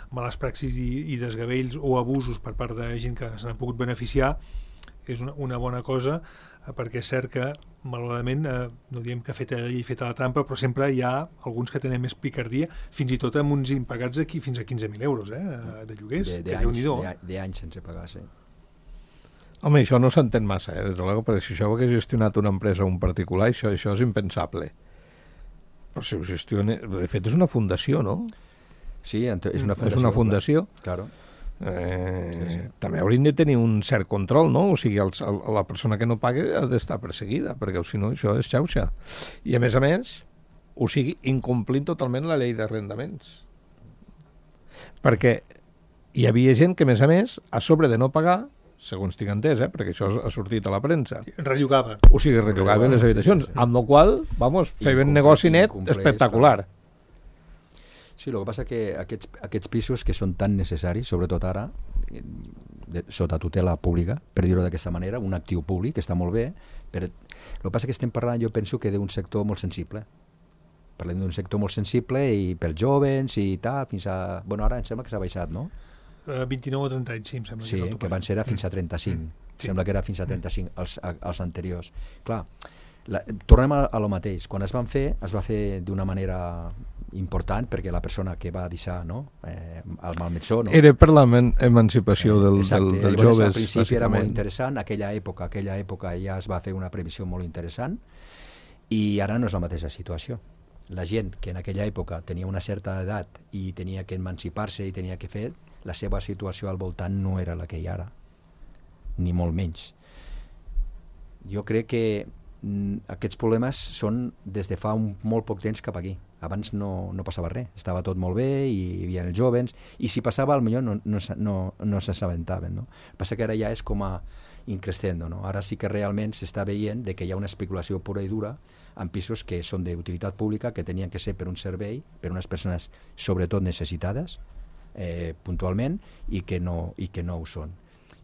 males praxis i desgavells o abusos per part de gent que se n'ha pogut beneficiar. És una bona cosa, perquè és cert que, malauradament, no diem que feta la llei feta la trampa, però sempre hi ha alguns que tenen més picardia, fins i tot amb uns impagats aquí fins a 15.000 euros de lloguers. D'anys sense pagar, sí. Home, això no s'entén massa, des de l'ego, perquè si això ho hagués gestionat una empresa o un particular, això és impensable. Però si ho gestiona... De fet, és una fundació, no? Sí, és una fundació. És una fundació. Claro. També haurien de tenir un cert control, no? O sigui, la persona que no paga ha d'estar perseguida, perquè si no això és xauxa. I a més, o sigui, incomplint totalment la llei d'arrendaments. Perquè hi havia gent que, a més, a sobre de no pagar, segons tinc entès, perquè això ha sortit a la premsa, rellogava. O sigui, rellogava les habitacions, amb la qual cosa, feien negoci net espectacular. Sí, el que passa que aquests pisos que són tan necessaris, sobretot ara, sota tutela pública, per dir-ho d'aquesta manera, un actiu públic, que està molt bé, però el que passa que estem parlant, jo penso que d'un sector molt sensible. Parlem d'un sector molt sensible i pels joves i tal, fins a... Bueno, ara em sembla que s'ha baixat, no? 29 o 30 anys, sí, em sembla. Sí, que van ser fins a 35. Sembla que era fins a 35 els anteriors. Clar, tornem a lo mateix. Quan es va fer d'una manera important, perquè la persona que va deixar el malmetsó... Era per l'emancipació dels joves. Al principi era molt interessant, aquella època ja es va fer una previsió molt interessant, i ara no és la mateixa situació. La gent que en aquella època tenia una certa edat i tenia que emancipar-se i tenia que fer, la seva situació al voltant no era la que hi ha ara, ni molt menys. Jo crec que aquests problemes són des de fa molt poc temps cap aquí. Abans no passava res, estava tot molt bé i hi havia els joves, i si passava potser no s'assabentaven, no? El que passa que ara ja és com a increscendo, no? Ara sí que realment s'està veient que hi ha una especulació pura i dura en pisos que són d'utilitat pública, que tenien que ser per un servei, per unes persones sobretot necessitades puntualment, i que no ho són.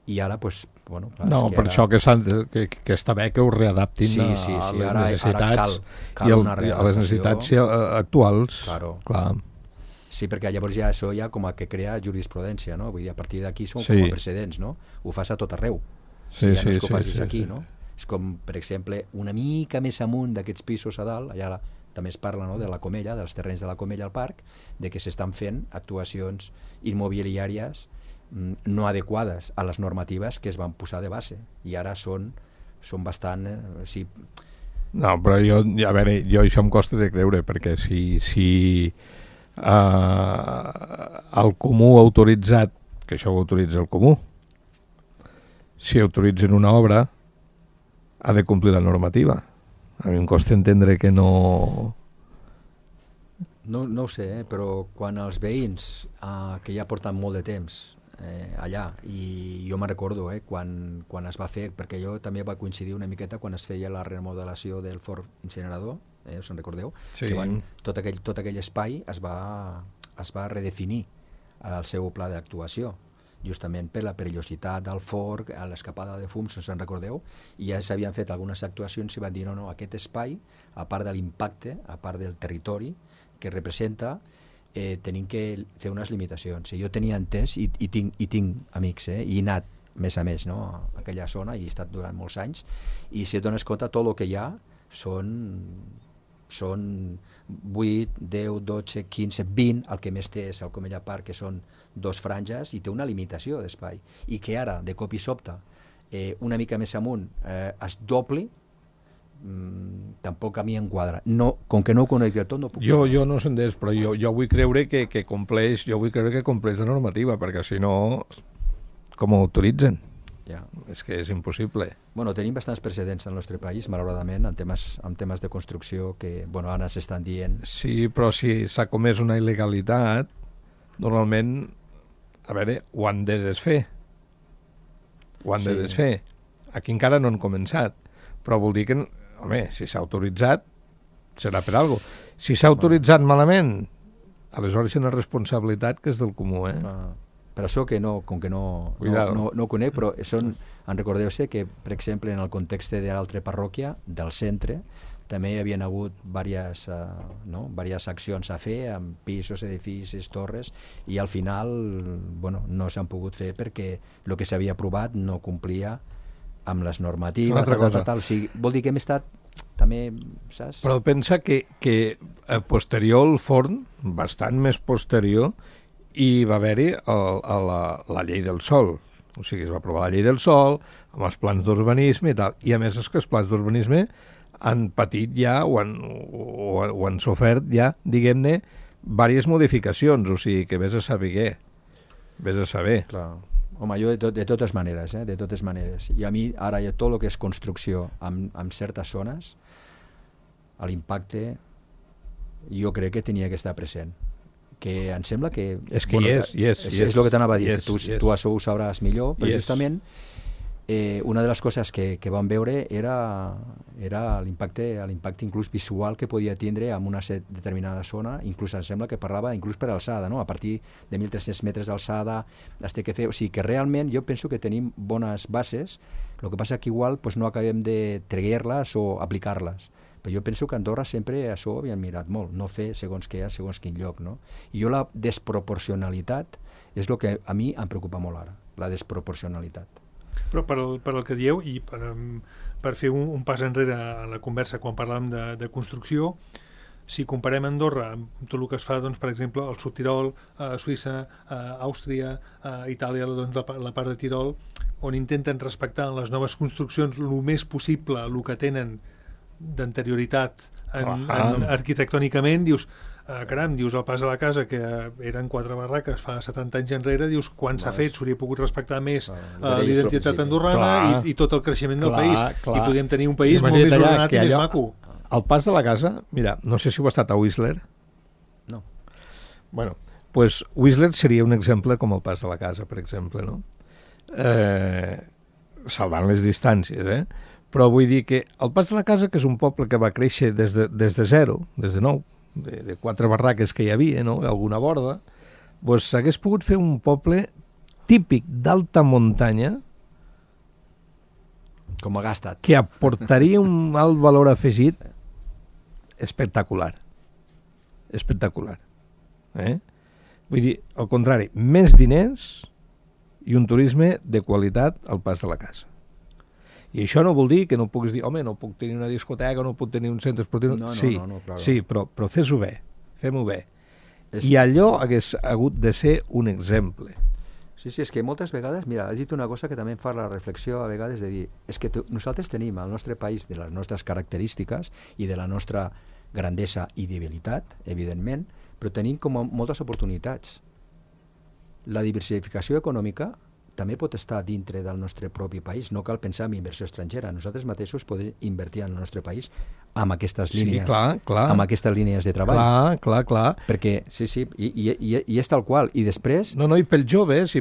I ara, doncs, bueno... Clar, no, per això que està bé que ho readaptin a les necessitats i a les necessitats actuals. Claro. Clar. Sí, perquè llavors ja això ja com a que crea jurisprudència, no? Vull dir, a partir d'aquí són com a precedents, no? Ho fas a tot arreu. No és que ho facis aquí, no? És com, per exemple, una mica més amunt d'aquests pisos a dalt, allà també es parla, no?, de la Comella, dels terrenys de la Comella al parc, de que s'estan fent actuacions immobiliàries no adequades a les normatives que es van posar de base, i ara són bastant... No, però a veure, jo això em costa de creure, perquè si el comú ha autoritzat, que això ho autoritza el comú, si autoritzen una obra, ha de complir la normativa. A mi em costa entendre que no... No ho sé, però quan els veïns, que ja porten molt de temps allà, i jo me'n recordo quan es va fer, perquè jo també va coincidir una miqueta quan es feia la remodelació del forn incinerador, us en recordeu? Sí. Que tot aquell espai es va redefinir al seu pla d'actuació, justament per la perillositat del forn, l'escapada de fums, us en recordeu? I ja s'havien fet algunes actuacions i van dir no, aquest espai, a part de l'impacte, a part del territori que representa, tenim que fer unes limitacions. Jo tenia entès i tinc amics, i he anat més a més, no, a aquella zona, i he estat durant molts anys, i si et dones compte, tot el que hi ha són 8, 10, 12, 15, 20, el que més té és el Comella Park, que són 2 franges, i té una limitació d'espai. I que ara, de cop i sobte, una mica més amunt, es dobli, tampoc a mi em quadra. No, com que no ho conec del tot, no puc... Jo no sé d'és, però jo vull creure que compleix la normativa, perquè si no, com ho autoritzen? Ja. És que és impossible. Bueno, tenim bastants precedents al nostre país, malauradament, en temes de construcció que, ara s'estan dient... Sí, però si s'ha comès una il·legalitat, normalment, a veure, ho han de desfer. De desfer. Aquí encara no han començat, però vol dir que, home, si s'ha autoritzat, serà per alguna cosa. Si s'ha autoritzat malament, aleshores hi ha una responsabilitat que és del comú, Per això que com que no ho conec, però en recordeu-se que, per exemple, en el context de l'altra parròquia, del centre, també hi havia hagut diverses accions a fer, amb pisos, edificis, torres, i al final no s'han pogut fer perquè el que s'havia aprovat no complia amb les normatives, o sigui, vol dir que hem estat també, saps? Però pensa que posterior al forn, bastant més posterior, i va haver-hi la llei del sòl. O sigui, es va aprovar la llei del sòl, amb els plans d'urbanisme i tal. I a més és que els plans d'urbanisme han patit ja, o han sofert ja, diguem-ne, diverses modificacions, o sigui, que vés a saber. Clar. Home, jo de totes maneres, de totes maneres. I a mi, ara, tot el que és construcció en certes zones, l'impacte, jo crec que tenia que estar present. Que em sembla que... És que és el que t'anava a dir, que tu això ho sabràs millor, però justament una de les coses que vam veure era l'impacte inclús visual que podia tindre en una determinada zona, inclús em sembla que parlava inclús per alçada, no? A partir de 1.300 metres d'alçada es té que fer, o sigui que realment jo penso que tenim bones bases, el que passa que igual no acabem de treguer-les o aplicar-les, però jo penso que a Andorra sempre això ho havien mirat molt, no fer segons què, segons quin lloc, no? I jo la desproporcionalitat és el que a mi em preocupa molt ara, la desproporcionalitat. Però per el que dieu, i per fer un pas enrere a la conversa quan parlàvem de construcció, si comparem Andorra amb tot el que es fa, doncs, per exemple, al Sud Tirol, a Suïssa, a Àustria, a Itàlia, doncs, la part de Tirol, on intenten respectar en les noves construccions el més possible el que tenen d'anterioritat arquitectònicament, dius, caram, dius, el pas a la casa, que eren 4 barraques fa 70 anys enrere, dius, quan s'ha fet, s'hauria pogut respectar més l'identitat andorrana i tot el creixement del país. I podríem tenir un país molt més ordenat i més maco. El pas de la casa, mira, no sé si ho ha estat a Whistler. No. Bueno, pues Whistler seria un exemple com el pas de la casa, per exemple, no? Salvant les distàncies, Però vull dir que el pas de la casa, que és un poble que va créixer des de zero, des de nou, de 4 barraques que hi havia, no? Alguna borda, doncs s'hagués pogut fer un poble típic d'alta muntanya com ha gastat, que aportaria un alt valor afegit espectacular. Vull dir, al contrari, més diners i un turisme de qualitat al pas de la casa. I això no vol dir que no puguis dir, home, no puc tenir una discoteca, no puc tenir un centre esportiu... Sí, però fes-ho bé, fem-ho bé. I allò hagués hagut de ser un exemple. Sí, és que moltes vegades, mira, has dit una cosa que també em fa la reflexió a vegades de dir, és que nosaltres tenim al nostre país de les nostres característiques i de la nostra grandesa i debilitat, evidentment, però tenim com moltes oportunitats. La diversificació econòmica també pot estar dintre del nostre propi país, no cal pensar en inversió estrangera. Nosaltres mateixos podem invertir en el nostre país amb aquestes línies, amb aquestes línies de treball. Clar. Perquè, i és tal qual. I després... No, i pels joves,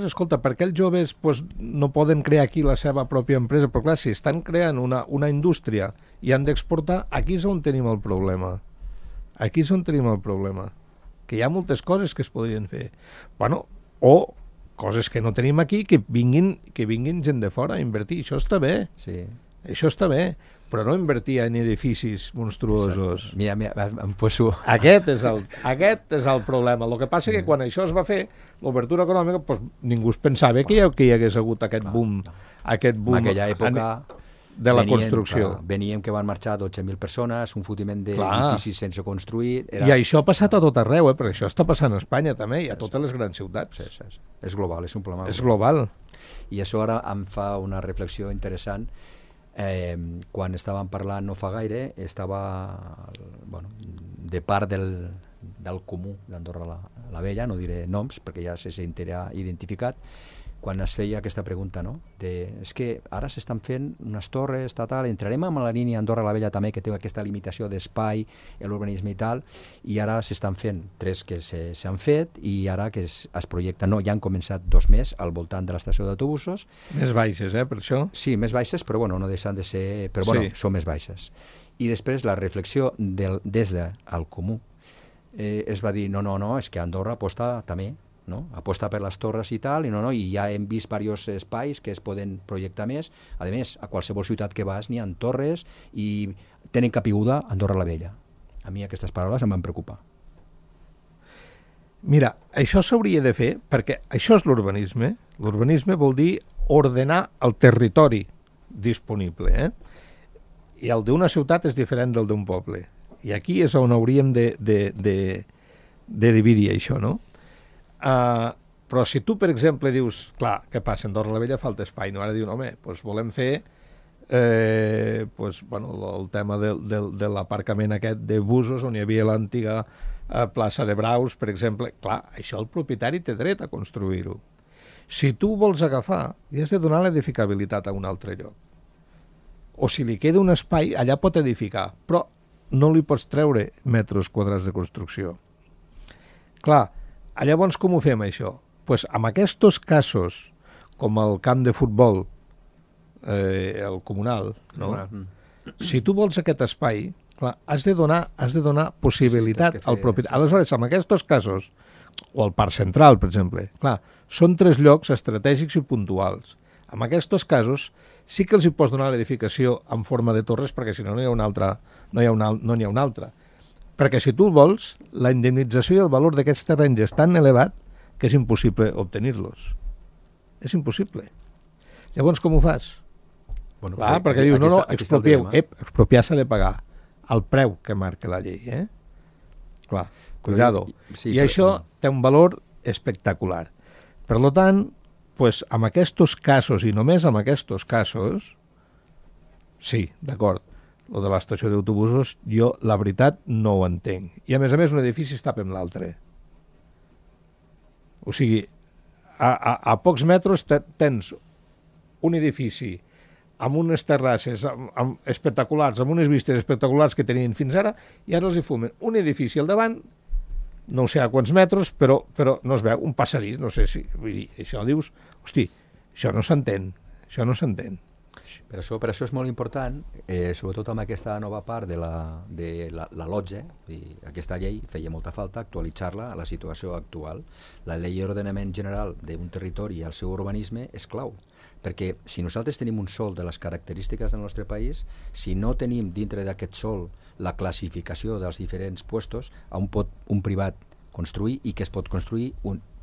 escolta, per què els joves no poden crear aquí la seva pròpia empresa? Però clar, si estan creant una indústria i han d'exportar, aquí és on tenim el problema. Aquí és on tenim el problema. Que hi ha moltes coses que es podrien fer. Bueno, o coses que no tenim aquí, que vinguin gent de fora a invertir. Això està bé. Sí. Això està bé, però no invertir en edificis monstruosos. Mira, em poso... Aquest és el problema. El que passa és que quan això es va fer, l'obertura econòmica, ningú es pensava que hi hagués hagut aquest boom. En aquella època... de la construcció. Veníem que van marxar 12.000 persones, un fotiment d'edificis sense construir... I això ha passat a tot arreu, perquè això està passant a Espanya també, i a totes les grans ciutats. Sí. És global, és un problema. És global. I això ara em fa una reflexió interessant. Quan estàvem parlant no fa gaire, estava de part del comú d'Andorra la Vella, no diré noms perquè ja se sentirà identificat, quan es feia aquesta pregunta, no? És que ara s'estan fent unes torres, entrarem amb la línia Andorra la Vella també, que té aquesta limitació d'espai, l'urbanisme i tal, i ara s'estan fent 3 que s'han fet, i ara que es projecten, ja han començat 2 més al voltant de l'estació d'autobusos. Més baixes, per això? Sí, més baixes, però no deixen de ser... Però són més baixes. I després la reflexió des del comú es va dir, no, és que Andorra aposta també, no? Aposta per les torres i tal, i ja hem vist diversos espais que es poden projectar més. A més, a qualsevol ciutat que vas n'hi ha torres i tenen capiguda Andorra la Vella. A mi aquestes paraules em van preocupar. Mira, això s'hauria de fer perquè això és l'urbanisme. L'urbanisme vol dir ordenar el territori disponible. I el d'una ciutat és diferent del d'un poble. I aquí és on hauríem de dividir això, no? Però si tu, per exemple, dius, clar, què passa? Andorra la Vella falta espai, no? Ara diuen, home, volem fer el tema de l'aparcament aquest de busos on hi havia l'antiga plaça de Braus, per exemple. Clar, això el propietari té dret a construir-ho. Si tu vols agafar, li has de donar l'edificabilitat a un altre lloc. O si li queda un espai, allà pot edificar, però no li pots treure metres quadrats de construcció. Clar, llavors com ho fem això? Doncs amb aquests casos, com el camp de futbol, el comunal, no? Si tu vols aquest espai, clar, has de donar possibilitat al propietari. Aleshores, amb aquests casos, o el Parc Central, per exemple, clar, són 3 llocs estratègics i puntuals. En aquests casos sí que els hi pots donar l'edificació en forma de torres, perquè si no n'hi ha una altra. Perquè si tu el vols, la indemnització i el valor d'aquests terrenys és tan elevat que és impossible obtenir-los. És impossible. Llavors, com ho fas? Clar, perquè dius, no, expropiar s'ha de pagar el preu que marca la llei. Clar, cuidado. I això té un valor espectacular. Per tant, amb aquests casos, i només amb aquests casos, sí, d'acord, el de l'estació d'autobusos, jo, la veritat, no ho entenc. I, a més, un edifici es tapa amb l'altre. O sigui, a pocs metres tens un edifici amb unes terrasses espectaculars, amb unes vistes espectaculars que tenien fins ara, i ara els hi fumen un edifici al davant, no sé a quants metres, però no es veu, un passadís, no sé si... Vull dir, això dius, hosti, això no s'entén. Per això és molt important, sobretot amb aquesta nova part de la LOTGE, aquesta llei feia molta falta actualitzar-la a la situació actual. La llei d'ordenament general d'un territori i el seu urbanisme és clau, perquè si nosaltres tenim un sòl de les característiques del nostre país, si no tenim dintre d'aquest sòl la classificació dels diferents puestos, on pot un privat construir i que es pot construir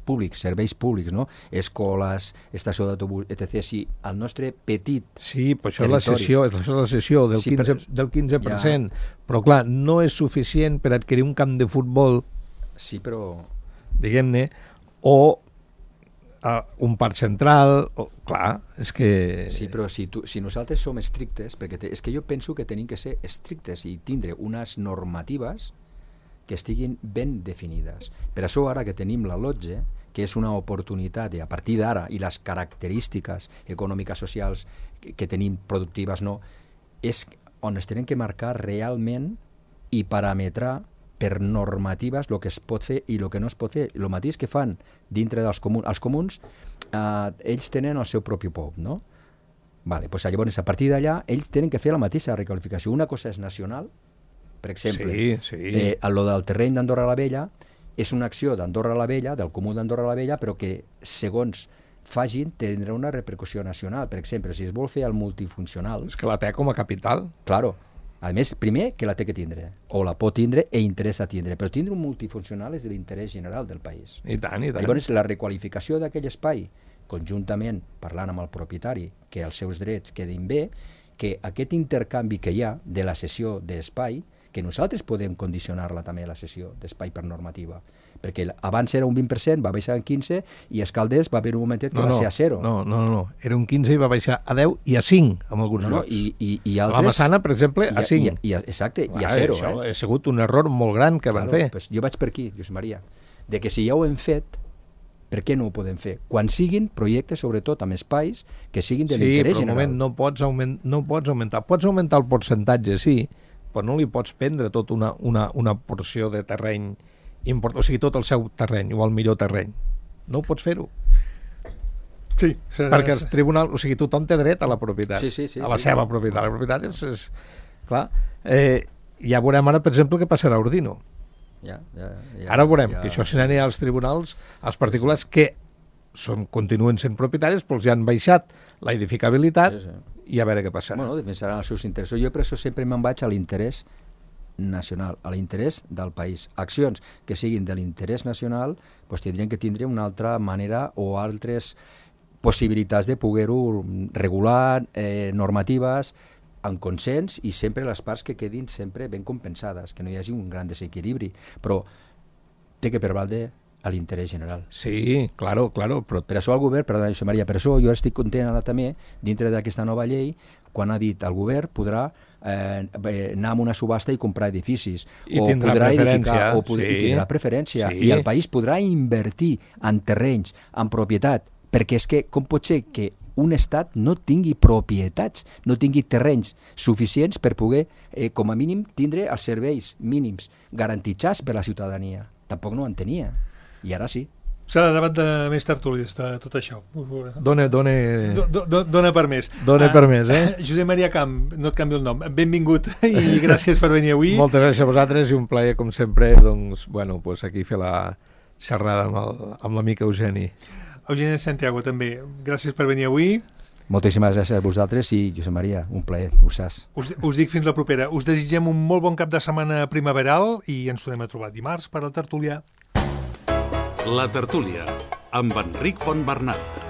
públics, serveis públics, no? Escoles, estació d'autobús, etc. Si el nostre petit Sí, però això és la cessió del 15%, però clar, no és suficient per adquirir un camp de futbol, sí, però diguem-ne, o un parc central, clar, és que... Sí, però si nosaltres som estrictes, perquè és que jo penso que tenim que ser estrictes i tindre unes normatives que estiguin ben definides. Per això ara que tenim la LOTGE, que és una oportunitat a partir d'ara, i les característiques econòmiques socials que tenim productives, no, és on es tenen que marcar realment i parametrar per normatives el que es pot fer i el que no es pot fer. El mateix que fan dintre dels comuns. Els comuns, ells tenen el seu propi POP, no? Vale, doncs llavors, a partir d'allà, ells tenen que fer la mateixa requalificació. Una cosa és nacional, per exemple, lo del terreny d'Andorra la Vella és una acció d'Andorra la Vella, del comú d'Andorra la Vella, però que, segons facin, tindrà una repercussió nacional. Per exemple, si es vol fer el multifuncional... És que la té com a capital. Claro. A més, primer, que la té que tindre, o la pot tindre i interessa tindre, però tindre un multifuncional és de l'interès general del país. I tant, i tant. Llavors, la requalificació d'aquell espai, conjuntament parlant amb el propietari, que els seus drets quedin bé, que aquest intercanvi que hi ha de la cessió d'espai, que nosaltres podem condicionar-la també a la cessió d'espai per normativa, perquè abans era un 20%, va baixar en 15%, i a Escalders va haver un momentet que va ser a 0. No, era un 15 i va baixar a 10 i a 5 en alguns llocs. I altres... La Massana, per exemple, a 5. Exacte, i a 0. Això ha sigut un error molt gran que van fer. Pues jo vaig per aquí, Josep Maria, de que si ja ho hem fet, per què no ho podem fer? Quan siguin projectes, sobretot amb espais, que siguin de l'interès general. Sí, però un moment, no pots augmentar. Pots augmentar el percentatge, sí, però no li pots prendre tota una porció de terreny important, o sigui, tot el seu terreny o el millor terreny. No ho pots fer-ho. Sí. Perquè els tribunals, o sigui, tothom té dret a la propietat, sí, a la seva propietat. La propietat és clar. Ja veurem ara, per exemple, què passarà a Ordino. Ara veurem que això s'anirà als tribunals, als particulars que continuen sent propietaris, però els han baixat la edificabilitat i a veure què passarà. Bueno, defensaran els seus interessos. Jo per això sempre me'n vaig a l'interès nacional, a l'interès del país. Accions que siguin de l'interès nacional doncs tindrien que tindre una altra manera o altres possibilitats de poder-ho regular, normatives, en consens, i sempre les parts que quedin sempre ben compensades, que no hi hagi un gran desequilibri, però té que prevaldre a l'interès general. Sí, claro, però... Per això el govern, perdona, Josep Maria, per això jo estic content ara també, dintre d'aquesta nova llei, quan ha dit el govern podrà anar a una subhasta i comprar edificis, o podrà edificar, i tindrà preferència, i el país podrà invertir en terrenys, en propietat, perquè és que com pot ser que un estat no tingui propietats, no tingui terrenys suficients per poder, com a mínim, tindre els serveis mínims garantitzats per la ciutadania. Tampoc no en tenia. I ara sí. Serà debat de més tertúlies, tot això. Dona per més. Dona per més, Josep Maria Camp, no et canvio el nom. Benvingut i gràcies per venir avui. Moltes gràcies a vosaltres i un plaer, com sempre, doncs, bueno, pues aquí fer la xerrada amb l'amic Eugeni. Eugeni Santiago, també. Gràcies per venir avui. Moltíssimes gràcies a vosaltres i, Josep Maria, un plaer, ho saps. Us dic fins la propera. Us desitgem un molt bon cap de setmana primaveral i ens tornem a trobar dimarts per al Tertulià. La Tertúlia, amb Enric Fontbernat.